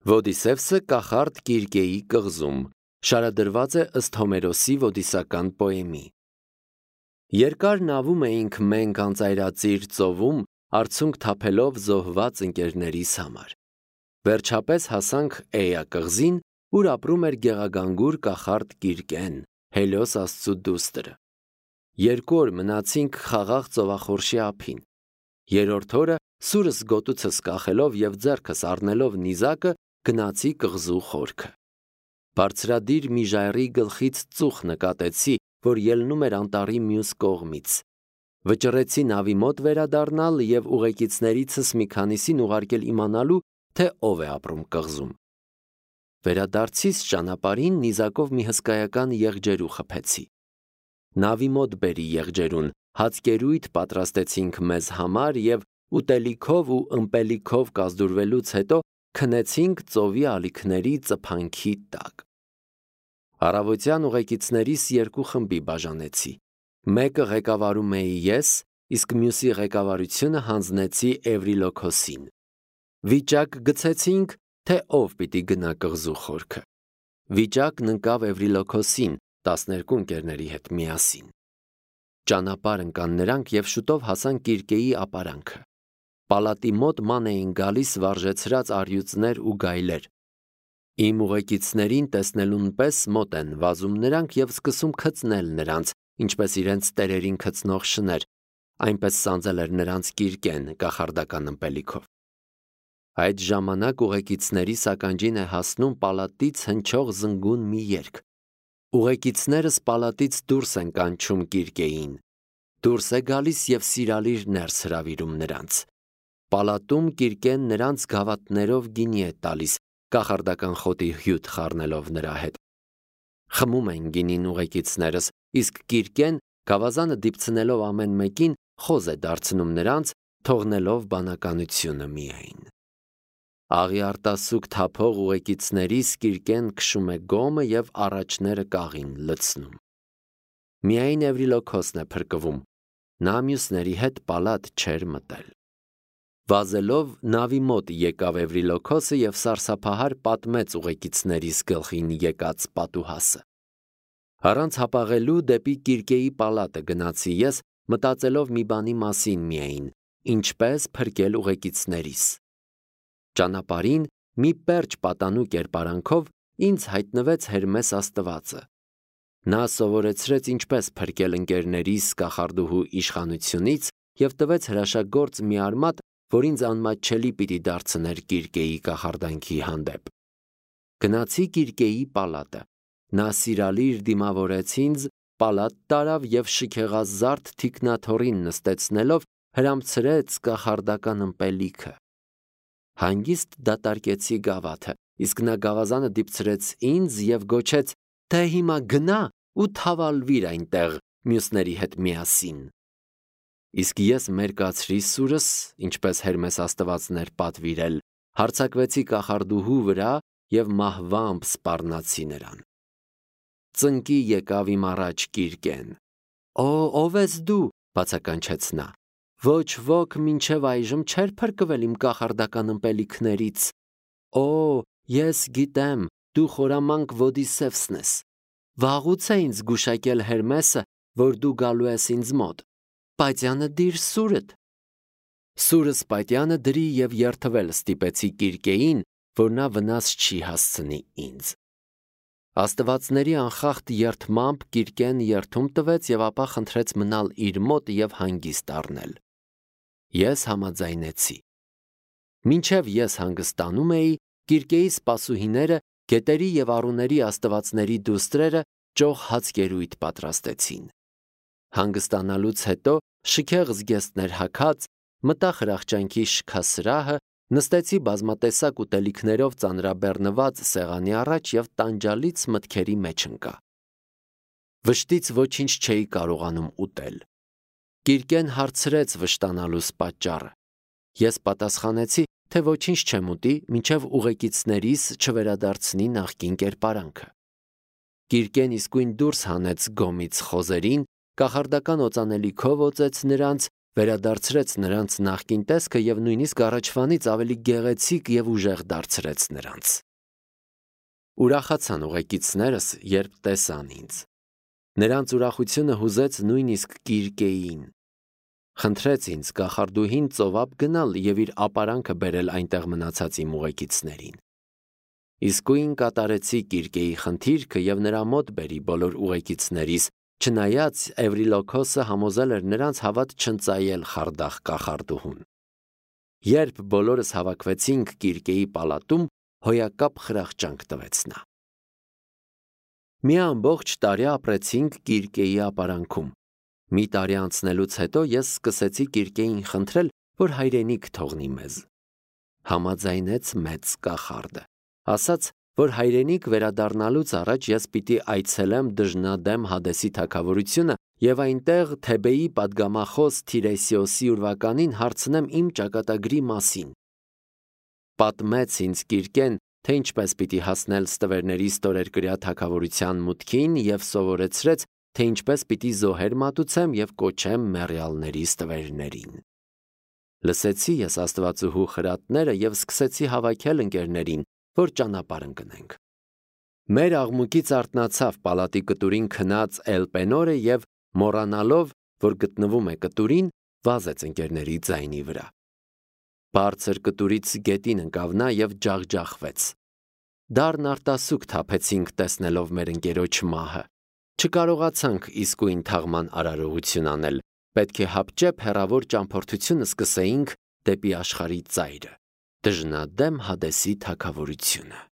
Ոդիսևսը կախարդ Կիրկեի կղզում շարադրված է ըստ Հոմերոսի ոդիսական պոեմի։ Երկար նավում էինք մենք անծայրածիր ծովում, արցունք թափելով զոհված ընկերներիս համար։ Վերջապես հասանք Էյա կղզին, ուր ապրում էր գեղագանգուր կախարդ Կիրկեն, Հելիոս աստծու դուստրը։ 2 օր մնացինք խաղաղ ծովախորշի ափին։ Երրորդ օրը սուրս գոտուցս կախելով և ձեռքս առնելով նիզակը գնացի կղզու խորքը։ Բարձրադիր մի ժայռի գլխից ծուխ նկատեցի, որ ելնում էր անտառի մյուս կողմից։ Վճռեցի նավի մոտ վերադառնալ և ուղեկիցներիցս մի քանիսին ուղարկել իմանալու, թե ով է ապրում կղզում։ Վերադարձիս ճանապարհին նիզակով մի հսկայական եղջերու խփեցի։ Նավի մոտ բերի եղջերուն, հացկերույթ պատրաստեցինք մեզ համար և ուտելիքով ու ըմպելիքով կազդուրվելուց հետո քնեցինք ծովի ալիքների ծփանքի տակ։ Առավոտյան ուղեկիցներիս 2 խմբի բաժանեցի։ Մեկը ղեկավարում էի ես, իսկ մյուսի ղեկավարությունը հանձնեցի Էվրիլոքոսին։ Վիճակ գցեցինք, թե ով պիտի գնա կղզու խորքը։ Վիճակն ընկավ Էվրիլոքոսին 12 ընկերների հետ միասին։ Ճանապարհ ընկան նրանք և շուտով հասան Կիրկեի ապարանքը։ Պալատի մոտ ման էին գալիս վարժեցրած առյուծներ ու գայլեր։ Իմ ուղեկիցներին տեսնելուն պես մոտ են վազում նրանք և սկսում քծնել նրանց, ինչպես իրենց տերերին քծնող շներ, այնպես սանձել էր նրանց Կիրկեն կախարդական ըմպելիքով։ Այդ ժամանակ ուղեկիցներիս ականջին է հասնում պալատից հնչող զնգուն մի երգ։ Ուղեկիցներս պալատից դուրս են կանչում Կիրկեին։ Դուրս է գալիս և սիրալիր ներս հրավիրում նրանց։ Պալատում Կիրկեն նրանց գավաթներով գինի է տալիս, կախարդական խոտի հյութ խառնելով նրա հետ։ Խմում են գինին ուղեկիցներս, իսկ Կիրկեն գավազանը դիպցնելով ամեն մեկին խոզ է դարձնում նրանց, թողնելով բանականությունը միայն։ Աղի արտասուք թափող ուղեկիցներիս Կիրկեն քշում է գոմը և առաջները կաղին լցնում։ Միայն Էվրիլոքոսն է փրկվում, նա մյուսների հետ պալատ չէր մտել։ Վազելով նավի մոտ եկավ Էվրիլոքոսը և սարսափահար պատմեց ուղեկիցներիս գլխին եկած պատուհասը։ Առանց հապաղելու դեպի Կիրկեի պալատը գնացի ես, մտածելով մի բանի մասին միայն, ինչպես փրկել ուղեկիցներիս։ Ճանապարհին մի պերճ պատանու կերպարանքով ինձ հայտնվեց Հերմես աստվածը։ Նա սովորեցրեց ինչպես փրկել ընկերներիս կախարդուհու իշխանությունից և տվեց հրաշագործ մի արմատ, որ ինձ անմատչելի պիտի դարձներ Կիրկեի կախարդանքի հանդեպ։ Գնացի Կիրկեի պալատը։ Նա սիրալիր դիմավորեց ինձ, պալատ տարավ և շքեղազարդ թիկնաթոռին նստեցնելով հրամցրեց կախարդական ըմպելիքը։ Հանգիստ դատարկեցի գավաթը, իսկ նա գավազանը դիպցրեց ինձ և գոչեց, թե հիմա գնա ու թավալվիր այնտեղ մյուսների հետ միասին։ Իսկ ես մերկացրի սուրս, ինչպես Հերմես աստվածն էր պատվիրել, հարձակվեցի կախարդուհու վրա և մահվամբ սպառնացի նրան։ Ծնկի եկավ իմ առաջ Կիրկեն։ Ո՞վ ես դու, բացականչեց նա։ Ոչ ոք մինչև այժմ չէր փրկվել իմ կախարդական ըմպելիքներից։ Ես գիտեմ, դու խորամանկ Ոդիսևսն ես։ Վաղուց է ինձ գուշակել Հերմեսը, որ դու գալու ես ինձ մոտ։ Պատյանը դիր սուրդ։ Սուրս պատյանը դրի և երդվել ստիպեցի Կիրկեին, որ նա վնաս չի հասցնի ինձ։ Աստվածների անխախտ երդմամբ Կիրկեն երդում տվեց և ապա խնդրեց մնալ իր մոտ և հանգիստ առնել։ Ես համաձայնեցի։ Մինչև ես հանգստանում էի, Կիրկեի սպասուհիները, գետերի և առուների աստվածների դուստրերը ճոխ հացկերույթ պատրաստեցին։ Հանգստանալուց հետո շքեղ զգեստներ հագած, մտա խրախճանքի շքասրահը, նստեցի բազմատեսակ ուտելիքներով ծանրաբեռնված սեղանի առաջ և տանջալից մտքերի մեջ ընկա։ Վշտից ոչինչ չէի կարողանում ուտել։ Կիրկեն հարցրեց վշտանալուս պատճառը։ Ես պատասխանեցի, թե ոչինչ չեմ ուտի, մինչև ուղեկիցներիս չվերադարձնի նախկին կերպարանքը։ Կիրկեն իսկույն դուրս հանեց գոմից խոզերին, կախարդական օծանելիքով օծեց նրանց վերադարձրեց նրանց նախկին տեսքը և նույնիսկ առաջվանից ավելի գեղեցիկ և ուժեղ դարձրեց նրանց։ Ուրախացան ուղեկիցներս, երբ տեսան ինձ։ Նրանց ուրախությունը հուզեց նույնիսկ Կիրկեիին։ Խնդրեց ինձ կախարդուհին ծովափ գնալ և իր ապարանքը բերել այնտեղ մնացած իմ ուղեկիցներին։ Իսկույն կատարեցի Կիրկեի խնդիրքը և նրա մոտ բերի բոլոր ուղեկիցներիս, չնայած Էվրիլոքոսը համոզել էր նրանց հավատ չընծայել խարդախ կախարդուհուն։ Երբ բոլորս հավաքվեցինք Կիրկեի պալատում, հոյակապ խրախճանք տվեց նա։ Մի ամբողջ տարի ապրեցինք Կիրկեի ապարանքում։ Մի տարի անցնելուց հետո ես սկսեցի Կիրկեին խնդրել, որ հայրենիք թողնի մեզ։ Համաձայնեց մեծ կախարդը, ասաց, որ հայրենիք վերադառնալուց առաջ ես պիտի այցելեմ դժնադեմ Հադեսի թագավորությունը և այնտեղ Թեբեի պատգամախոս Թիրեսիոսի ուրվականին հարցնեմ իմ ճակատագրի մասին։ Պատմեց ինձ Կիրկեն, թե ինչպես պիտի հասնել ստվերների ստորերկրյա թագավորության մուտքին և սովորեցրեց, թե ինչպես պիտի զոհեր մատուցեմ և կոչեմ մեռյալների ստվերներին։ Լսեցի ես Աստվածուհու խրատները և սկսեցի հավաքել ընկերներին, որ ճանապարհ ընկնենք։ Մեր աղմուկից արթնացավ պալատի կտուրին քնած Էլպենորը և մոռանալով, որ գտնվում է կտուրին, վազեց ընկերների ձայնի վրա։ Բարձր կտուրից գետին ընկավ նա և ջախջախվեց։ Դառն արտասուք թափեցինք տեսնելով մեր ընկերոջ մահը։ Չկարողացանք իսկույն թաղման արարողություն անել, պետք է հապճեպ հեռավոր ճամփորդությունը սկսեինք դեպի աշխարհի ծայրը, դժնադեմ Հադեսի թագավորությունը։